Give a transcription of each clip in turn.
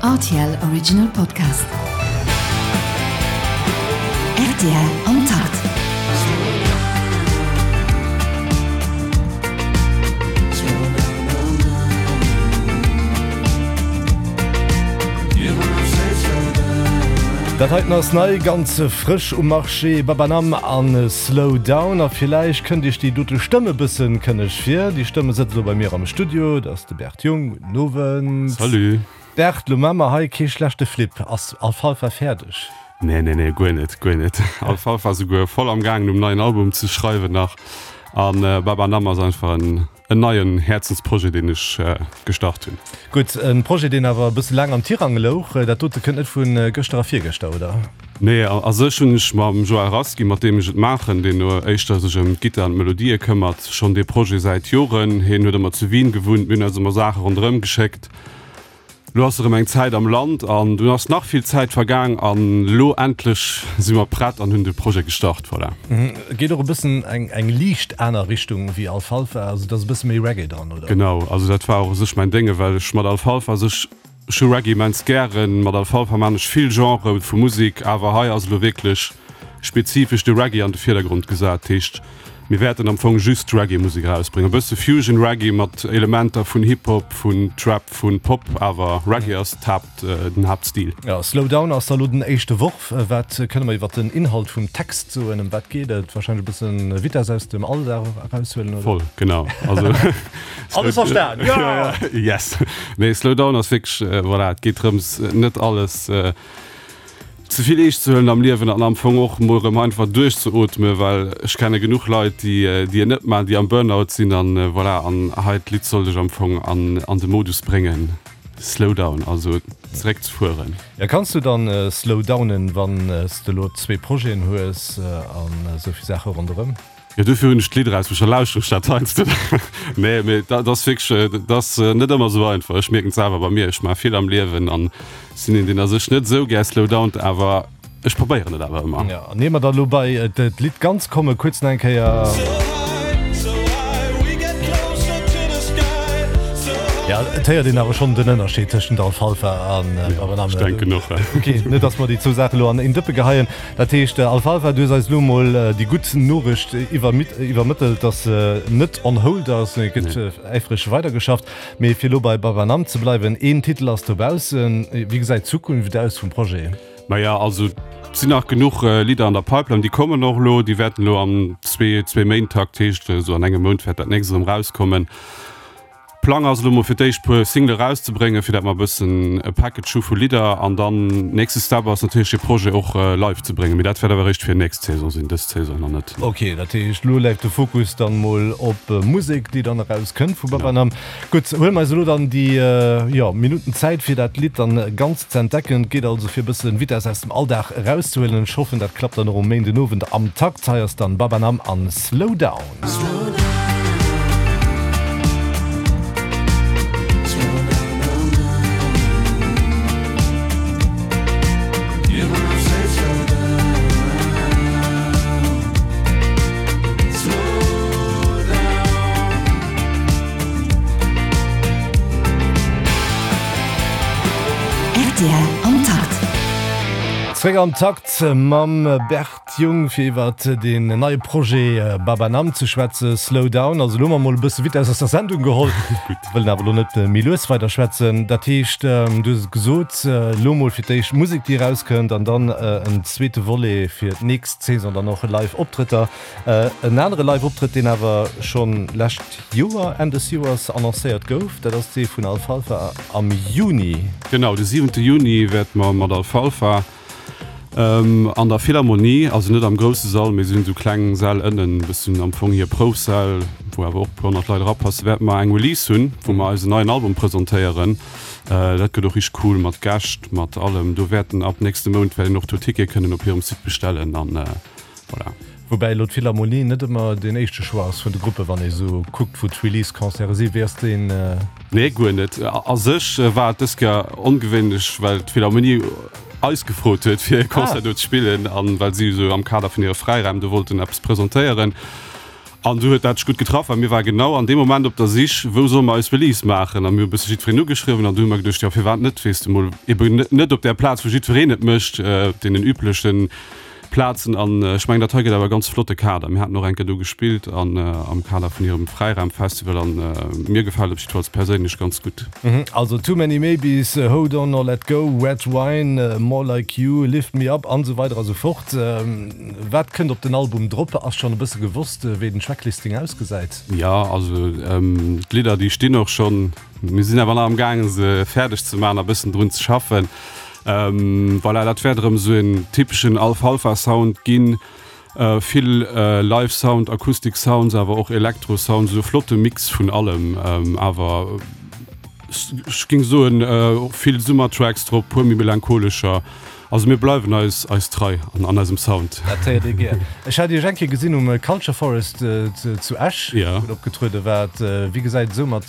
Rtl Original Podcast. Rtl am Takt. Dat heiten ass nei, ganz frësch um Marché, Babanam an Slow Down. A villäicht kënnt iech déi dote Stëmm e bëssen kënneg vir. Déi Stëmm sëtzt elo bei mir am Studio, dat ass de Bert Jung. Gudden Owend. Salut. Bert, lo maa mer hei kee schlechte Flip. Ass Alfalfa fäerdeg? Nee, nee, nee, guer net, guer net. Alfalfa ass esouguer voll am gaangen um neien Album ze schreiwen nach. An Babanam ass einfach en En neien Häerzensprojet deen ech gestart hunn. Gutt, en Projet deen awer e bësse laang am Tirang louch. Dat dote kënnt net vu gëschter a virgëschter, oder? Nee, a sech hunn ech mam Joël Rasqui, mat deem ech et maachen, deen éischter sech ëm d'Gittar an d'Melodië këmmert, schonn dee Projet säit Joren. Hien huet ëmmer zu Wien gewunnt, mir hunn eis ëmmer Saache ronderëm geschéckt. Lo ass erëm eng Zäit am Land an dunn ass nach vill Zäit vergaang an lo endlech si mer prett an hunn de Projet gestart. Voilà. Et geet och e bëssen eng eng liicht aner Richtung wéi Alfalfa, also et ass e bësse méi Reggae dran, oder? Genau, also dat war och u sech mäin Dénge, well ech mat Alfalfa sech, ech hu Reggae immens gären, mat Alfalfa maan ech vill Genrë vu Musek, awer hei ass elo wierklech spezifesch de Reggae an de Virdergrond gesat. Heescht Mir wäerten am Fong just Reggae-Musek erausbréngen. E bësse Fusion Reggae mat Elementer vun Hip-Hop, vun Trap, vun Pop, awer Reggae ass d'Haapt, den Haaptstil. Jo, Slow Down ass da lo den éischte Worf. Wat kënne mer iwwer den Inhalt vum Text soen? Ëm wat geet et? Warscheinlech e bësse Vitess aus dem Alldag eraushuelen, oder? Voll, genau. Also Alles verstan, jo! Yes! Nee, Slow Down ass wierklech, voilà, et geet drëms, net alles Ze vill eescht ze huelen am Liewen an am Fong och mol erëm einfach duerchzeootmen, well ech kenne genuch Leit, déi déi et net maachen, déi am Burnout sinn an voilà. An hei d'Lidd soll dech am Fong an an de Modus bréngen, slow down, also zeréck ze fueren. Ja, kanns du dann slow downen, wann s de elo zwee Projeten hues an esou vill Saache ronderëm? Jo, dofir hunn ech d'Lidd erausbruecht, da lauschteren ech dat heiansdo. Nee, mee dat ass wierklech, dat ass net ëmmer esou einfach. Ech mierken et selwer bei mir, ech maache vill am Liewen an sinn een, deen a sech net esou gär slowdownt, awer ech probéieren et awer ëmmer. Jo, an ier mer da lo bei d'Lidd ganz kommen, kuerz nach eng Kéier. Ja, et héiert een awer schonn den Ënnerscheed tëschent Alfalfa an Babanam. Ech denken och. Ok, net dass mer déi zwou Saache lo an een Dëppe geheien. Dat heescht, Alfalfa, du hues eis elo emol déi gutt Noricht iwwermëttelt, dass se net on hold ass, et gëtt äifreg weidergeschafft. Mee fir elo bei Babanam ze bleiwen, een Titel ass dobaussen. Wéi gesäit d'Zukunft aus vum Projet? Maja, also et sinn nach genuch Lidder an der Pipeline, déi kommen och elo, déi wäerten elo am Zwee-Méint-Takt, heescht esou an engem Mount wäert dat nächst erëm rauskommen. Plang ass elo mol fir d'éischt puer Single erauszebréngen, fir dat mer e bëssen e Package hu vu Lidder an dann nächste Step ass natierlech de Projet och live ze bréngen, mee dat wäert awer eréischt fir nächst Saison sinn, dës Saison nach net. Ok, dat heescht elo läit de Fokus dann mol op Musek déi dann eraus kënnt vu Babanam. Gutt, huele mer eis elo dann déi, jo, Minutten Zäit fir dat Lidd dann ganz ze entdecken. Et geet also fir e bëssen Vitess aus dem Alldag erauszehuelen. Ech hoffen dat klappt dann och um Méindenowend am Takt. Hei ass dann Babanam an Slow Down. Rtl am Takt. Zréck am Takt mam Bert. Jung fir iwwert deen neie Projet Babanam ze schwätzen, Slow Down. Also elo hu mer mol e bësse Vitess aus der Sendung geholl, wëllen awer elo net méi lues weider schwätzen. Dat heescht, du hues et gesot, elo mol fir d'éischt Musek déi erauskënnt an dann en zweete Volet fir d'nächst Saison dann och live Optrëtter. En anere live Optrëtt deen awer schonn lescht Joer, Enn des Joers annoncéiert gouf, dat ass dee vun Alfalfa am Juni. Genau, de siwente Juni wäerte mer mat Alfalfa An der Philharmonie, also net am grousse Sall, mee si hunn esou kleng Säll ënnen, e bëssen am Fong hir Proufsäll, wou awer och e puer honnert Leit erapassen, wäerte mer eng Release hunn, wou mer eisen neien Album presentéieren. Dat gëtt och richteg cool, mat Gäscht, mat allem. Do wäerten ab nächste Mount wäert een och do Tickete kënnen op hirem Site bestellen an voilà. Woubäi elo d'Philharmonie net ëmmer deen éischte Choix ass vun de Gruppen, wann ee sou kuckt, wou d'Release-Concerte sinn. Wéi ass deen? Nee, guer net. A sech war et dës Kéier ongewéinlech, well d'Philharmonie eis gefrot huet, fir e Concert do ze spillen, an well si esou am Kader vun hire Fräiräim do wollten eppes presentéieren. An du huet dat sech gutt getraff, well mir ware genau an deem Moment op der Sich, wou solle mer eis Release maachen. A mir hu e bësse jiddwereen ugeschriwwen an du hu mer geduecht, jo firwat net, weess de mol eben net op där Plaz, wou jiddwereen et mécht, op deenen übleche Plazen. An ech mengen, dat hei gëtt awer e ganz flotte Kader. Mir haten och eng Kéier do gespillt an am Kader vun hirem Fräiraumfestival an mir gefält et op jiddefalls perséinlech ganz gutt. Also Too Many Maybes, Hold On or Let Go, Red Wine, More Like You, Lift Me Up an esou weider a sou fort. Wat kënnt op den Album drop? Ass schonn e bësse gewosst, wéi den Tracklisting ausgesäit? Jo, also d'Lidder déi stinn och schonn. Mir sinn awer nach am gaangen se fäerdeg ze maachen a bëssen drun ze schaffen. Voilà, dat wäert erëm esou en typeschen Alfalfa Sound ginn. Vill Live Sound, Acoustic Sounds, awer och Elektro Sounds, esou e flotte Mix vun allem. Awer ech géing soen vill Summertracks drop, puer méi melancholescher. Also mir bleiwen eis eis trei an an eisem Sound. Dat héiert ee gär. Ech hat Iech eng Kéier gesinn um Culture Forest zu Esch, wou Der opgetruede waart. Wéi gesäit et esou mat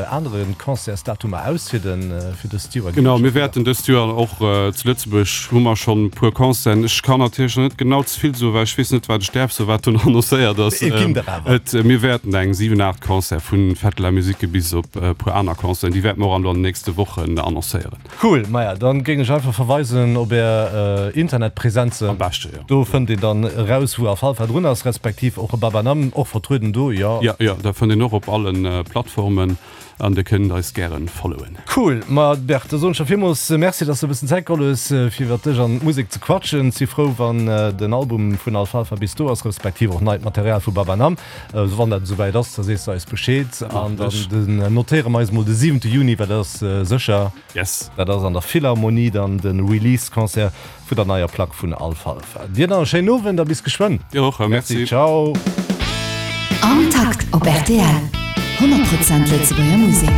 anere Concertsdatumer aus fir de fir dëst Joer? Genau, mir wäerten dëst Joer och zu Lëtzebuerg hu mer schonn e puer Concerten. Ech kann natierlech nach net genau ze vill soen, well ech weess net wat ech däerf soen, wat do nach annoncéiert ass. Et ginn der awer. Et mir wäerten eng 7, 8 Concerte vu Fête de la Musique bis op e puer aner Concerten, déi wäerte mer och an den nächste Wochen annoncéieren. Cool, maja dann géing ech einfach verweisen op är Internetpräsenzen. Am beschte jo. Do fënnt een dann eraus wou Alfalfa drun ass, respektiv och Babanam och vertrueden do, jo. Jo, jo, dat fënnt een och op allen Plattformen an dir kënnt eis gären followen. Cool, ma Bert, da soen ech der villmools Merci, dass de e bëssen Zäit geholl hues fir iwwert dech an d'Musek ze quatschen. Si frou wann den Album vun Alfalfa bis do ass, respektiv och neit Material vu Babanam. Wann dat esouwäit ass, da sees de eis Bescheed an dann notéiere mer eis mol de siwente Juni, well dat ass sécher. Yes. Dat ass an der Philharmonie dann de Release-Concert vun der neier Plack vun Alfalfa. Dir nach e schéinen Owend a bis geschwënn. Dir och, merci. Ciao. Am Takt op rtl, 100 Prozent Lëtzebuerger Musek.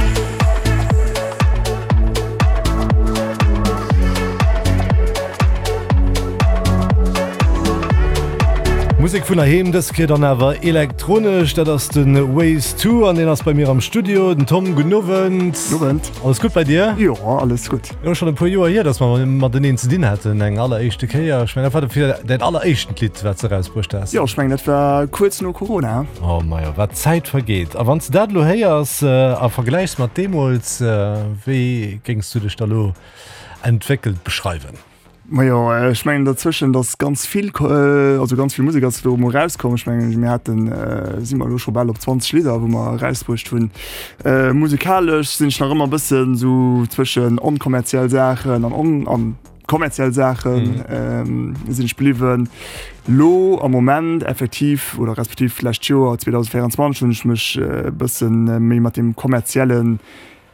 Musek vun heiheem, dës Kéier dann awer elektronesch. Dat ass de Ways To an deen ass bei mir am Studio. Den Tom, gudden Owend. Gudden Owend. Alles gutt bei dir? Jo, alles gutt. Jo, schonn e puer Joer hier, datt mer mateneen ze dinn haten, eng alleréischte Kéier. Ech mengen, dat war fir däin alleréischtent Lidd, wat s de erausbruecht has. Jo, ech mengen, dat war kuerz no Corona. Oh majo, wat d'Zäit vergeet. A wann s de dat elo héiers a vergläichs mat deemools, wéi géings du dech da lo entwéckelt beschreiwen? Majo, ech mengen derzwëschent ass ganz vill, also ganz vill Musek ass do emol rauskomm. Ech mengen mir haten, si mer elo scho bal op 20 Lidder, wou mer erausbruecht hunn. Musekalesch sinn ech nach ëmmer e bëssen esou zwëschen onkommerziell Saachen an on an kommerziell Saachen sinn ech bliwwen. Lo am Moment effektiv oder respektiv d'lescht Joer 2024 hunn ech mech e bëssen méi mat deem kommerziellen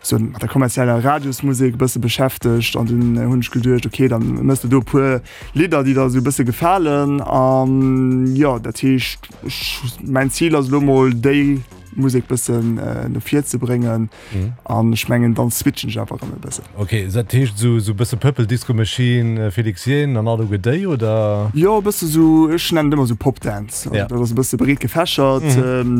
sou mat der kommerzieller Radiosmusek e bësse beschäftegt an dunn hunn ech geduecht, okay, dann mëss de do e puer Lidder, déi der sou e bësse gefalen an jo, dat heescht ech, mäin Zil ass elo mol déi Musek bëssen no vir ze bréngen an ech mengen dann switchen ech awer erëm e bëssen. Ok, dat heescht sou sou bësse Purple Disco Machine, Felix Jaehn an alleguer déi oder? Jo e bësse sou, ech nennen et ëmmer sou Pop Dance, also dat ass e bësse breet gefächert,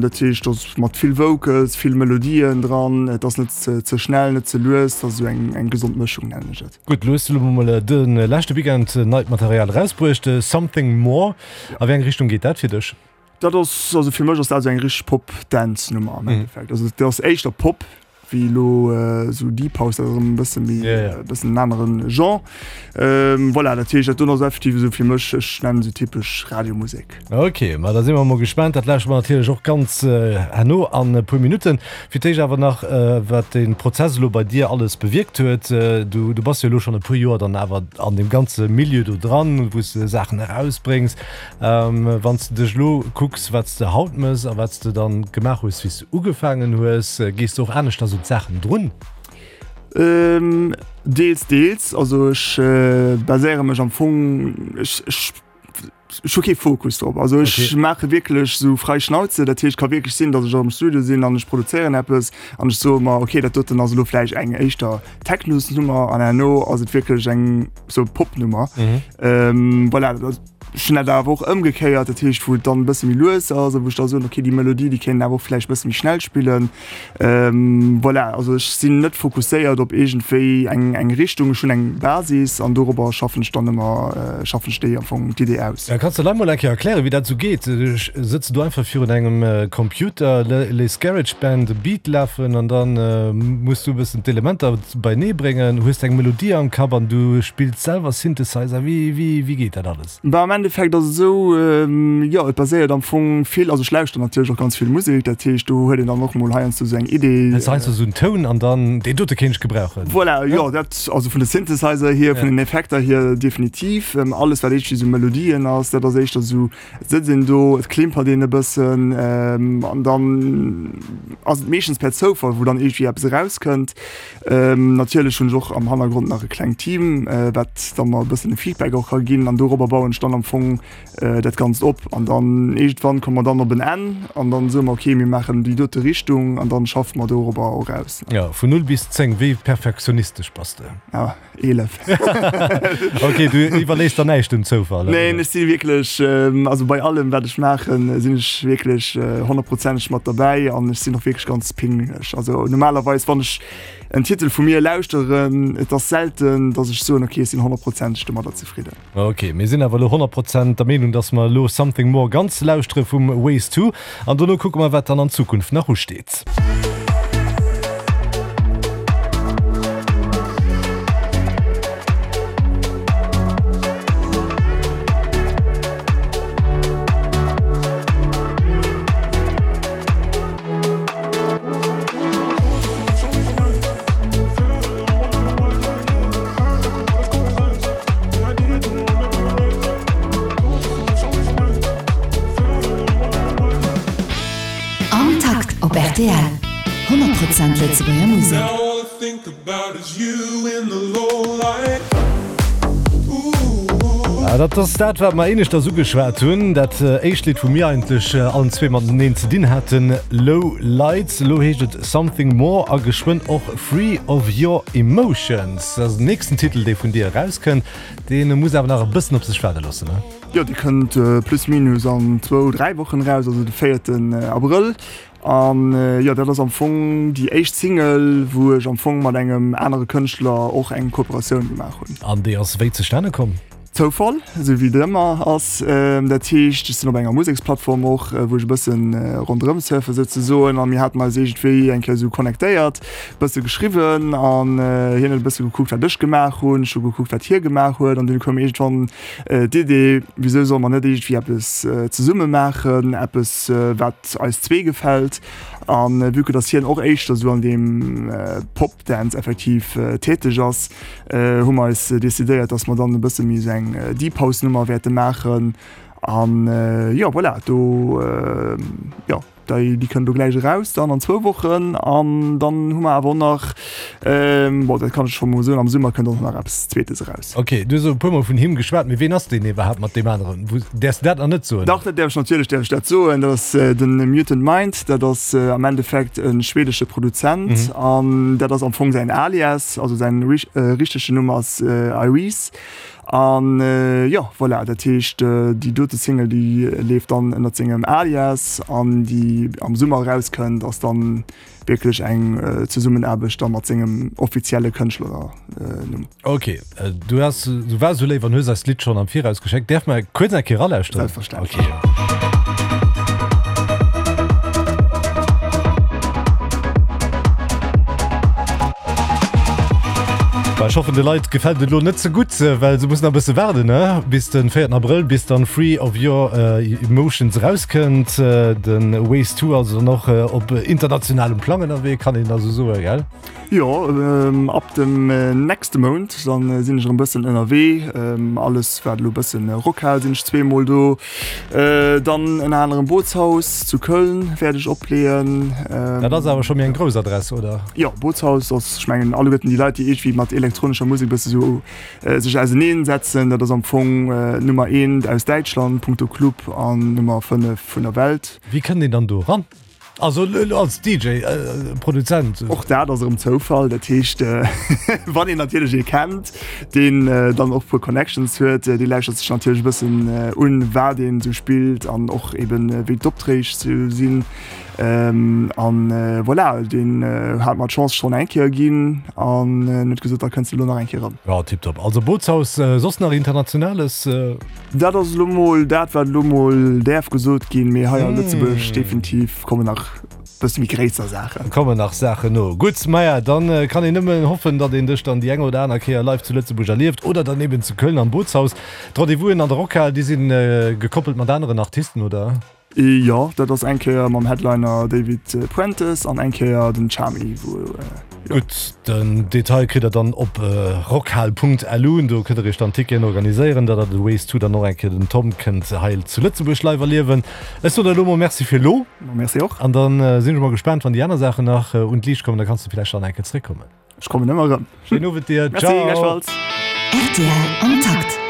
dat heescht dass Mat vill Vocals, vill Melodien dran. Et ass net ze schnell, net ze lues. Et ass esou eng eng gesond Mëschung, nennen ech et. Gutt, lo hues du elo mol de leschte Weekend neit Material erausbruecht, Something More. A wéi eng Richtung geet dat fir dech? Dat ass, also fir mech ass dat esou eng richteg Pop-Dance-Nummer am Endeffekt. Also dat ass éischter Pop wéi elo esou Deep House, dat ass erëm e bësse méi, e bëssen en aneren Genre. Voilà, dat heescht, dat doen ass effektiv esou fir mech, ech nennen esou typesch Radiomusek. Ok, ma da si mer emol gespaant. Dat lauschteren mer natierlech och ganz herno an e puer Minutten. Fir d'éischt awer nach, wat de Prozess elo bei dir alles bewierkt huet. Du, du bass jo elo schonn e puer Joer dann awer an deem ganze Milieu do dran, wou s de Saachen erausbréngs. Wann s de dech elo kucks, wat s de haut mëss a wat s de dann gemaach hues, wéi s de ugefaangen hues, gees de och aneschters un d'Saachen drun? Deels, deels. Also ech baséiere mech am Fong, ech, ech, ech hu kee Fokus drop. Also ech okay. maache wierklech sou frei Schnauze. Dat heescht, ka wierklech sinn, datt ech am Studio sinn an ech produzéieren eppes an ech soe mer, okay, dat doten ass elo vläicht eng éischter Technosnummer an herno ass et wierklech eng sou Popnummer. Mhm. Ähm, voilà, dat. Ech hunn dat awer och ëmgekéiert, dat heescht, wou et dann e bësse méi lues ass a wou ech da soen, okay, déi Melodie, déi kéint een awer och vläicht e bësse méi schnell spillen. Voilà, also ech sinn net fokusséiert op iergendwéi eng eng Richtung. Ech hunn eng Basis an dorobber schaffen ech dann ëmmer, schaffen ech déi am Fong d'Idee aus. Kanns de lei mol eng Kéier erklären, wéi dat esou geet? Sëtz de do einfach virun engem Computer, léiss GarageBand e Beat lafen an dann muss du e bëssen d'Elementer beinee bréngen, hues eng Melodie am Kapp an du spills selwer Synthesizer. Wéi, wéi, wéi geet dat alles? Bah, am Endeffekt ass et esou, jo, et baséiert am Fong vill, also ech lauschteren natierlech och ganz vill Musek, dat heescht, do huet een dann och mol heiansdo esou eng Idee. Hues heiansdo esou en Toun an dann, deen dote kéint ech gebrauchen. Voilà, jo, dat, also vun de Synthesizer hier, vun den Effekter hier definitiv. Alles wat éischter esou Melodien ass, dat ass éischter esou, Et sëtzt een do, et klimpert een e bëssen an dann ass et meeschtens per Zoufall, wou dann iergendwéi eppes erauskënnt. Natierlech hunn ech och am Hannergrond nach e klengt Team, wat da mer e bëssen e Feedback och ka ginn an dorobber bauen ech dann am Fong dat Ganzt op. An dann iergendwann komme mer dann op en Enn an dann soe mer, okay, mir maachen déi dote Richtung an dann schaffe mer dorobber och aus. Jo, vun 0 bis 10, wéi perfektionistesch bass de? 11. Ok, du iwwerléiss der näischt dem Zoufall? Neen, ech si wierklech, also bei allem wat ech maachen, sinn ech wierklech honnertprozenteg mat derbäi an ech sinn och wierklech ganz pinglech. Also normalerweis wann ech en Titel vu mir lauschteren, et ass selten, datt ech soen, ok, ech sinn honnertprozenteg domadder zefridden. Ok, mir sinn awer elo 100% der Meenung, dass mer elo Something More ganz lauschtere vum Ways To an dono kucke mer, wat dann an Zukunft nach usteet. Am Takt op rtl, 100 Prozent Lëtzebuerger Musek. Dat ass dat, wat mer éineschters ugeschwat hunn. Dat éischt Lidd, wou mir eigentlech allen zwee mateneen ze dinn haten, Low Lights. Elo heescht et Something More a geschwënn och Free of Your Emotions. Dat ass den nächsten Titel, dee vun dir erauskënnt. Dee muss awer nach e bëssen op sech waarde loossen, ne? Jo, dee kënnt plus minus an zwou, dräi Wochen eraus, also de véierten Abrëll. An jo, dat ass am Fong déi éischt Single, wou ech am Fong mat engem anere Kënschtler och eng Kooperatioun gemaach hunn. An déi ass wéi zustane komm? Zoufall, esou wéi et ëmmer ass. Dat heescht, ech sinn op enger Museksplattform och, wou ech e bëssen ronderëm surfe souzesoen. A mir haten eis iergendwéi eng Kéier esou connectéiert, bësse geschriwwen an hien huet e bësse gekuckt, wat ech gemaach hunn, ech hu gekuckt, wat hie gemaach huet. An dunn koum iergendwann d'Idee, wisou solle mer net iergendwéi eppes zesumme maachen, eppes wat eis zwee gefält. An vue que dass hien och éischter esou an deem Pop-Dance effektiv täteg ass, hu mer eis decidéiert, dass mer dann e bësse méi esou eng Deep House Nummer wäerte maachen. An jo, voilà, do jo, déi déi kënnt elo gläich eraus dann an zwou Wochen. An dann hu mer awer och nach, bon, dat kann ech scho mol soen, am Summer kënnt och nach eppes Zweetes eraus. Ok, du hues elo e puer mol vun him geschwat, mee ween ass deen iwwerhaapt mat deem aneren? Wou, däerfs de dat nach net soen? Dach, dat däerf ech natierlech däerf ech dat soen. Dat ass de Mutant Mind, dat ass am Endeffekt e schwedesche Produzent an dat ass am Fong säin Alias, also säin richtegen Numm ass Iris. An jo, voilà, dat heescht déi dote Single, déi leeft dann ënnert sengem Alias an déi am Summer erauskënnt, ass dann wierklech eng Zesummenaarbecht da mat sengem offizielle Kënschtlernumm. Ok, du has, du waars esou léif an hues eis d'Lidd schonn am Viraus geschéckt. Däerf mer kuerz eng Kéier eralauschteren? Selbstverständlech. Ok. Bah, ech hoffen de Leit gefält et elo net ze gutt, well se mussen nach e bësse waarden, ne, bis de véierten Abrëll, bis dann Free of Your Emotions erauskënnt. De Ways To also dann och op internationalem Plang ënnerwee, kann een also soen, gell? Jo, ab dem nächste Mount dann sinn ech erëm bëssen ënnerwee. Alles wat elo bëssen Rockhal sinn ech zweemol do. Dann ënner anerem Bootshaus zu Köln wäert ech opleeën. Dat ass awer scho méi eng grouss Adress, oder? Jo, Bootshaus ass, ech mengen alleguerten déi Leit déi iergendwéi mat elektronescher Musek bësse sou sech auseneen setzen, dat ass am Fong Nummer eent aus Däitschland punkto Club an Nummer 5 vun der Welt. Wéi kënnt een dann do eran? Also als DJ, Produzent? Och dat ass erëm Zoufall. Dat heescht, wann een natierlech ee kennt, deen dann och e puer Connections huet, dee lauschtert sech natierlech e bëssen un, wat een esou spillt an och eben, wéi d'Opträg sou sinn. An voilà, deen hat mer d'Chance schonn eng Kéier ginn an huet gesot, da kënns de elo nach eng Kéier erëm. Jo, tiptop. Also Bootshaus, soss nach Internationales? Dat ass elo mol dat, wat elo mol däerf gesot ginn, mee hei a Lëtzebuerg definitiv kommen nach bësse méi gréisser Saachen. Kommen nach Saachen no. Gutt, maja, dann kann een nëmmen hoffen, datt een dech dann déi eng oder aner Kéier live zu Lëtzebuerg erlieft oder dann eben zu Köln am Bootshaus. D'Rendez-vousen an der Rockhal, déi sinn gekoppelt mat aneren Artisten, oder? Jo, dat ass eng Kéier mam Headliner David Puentes an eng Kéier den Tchami, wou, jo. Gutt, den Detail kritt der dann op rockhal.lu. Do kënnt der iech dann Ticketen organiséieren, datt der de Ways To dann och eng Kéier den Tom kënnt hei zu Lëtzebuerg live erliewen. Ech soen der elo mol Merci fir elo. Merci och. An dann sinn ech mol gespaant, wann déi aner Saachen nach un d'Liicht kommen, da kanns de villäicht dann eng Kéier zréckkommen. Ech kommen ëmmer erëm. Schéinen Owend dir. Merci, gläichfalls. Rtl am Takt.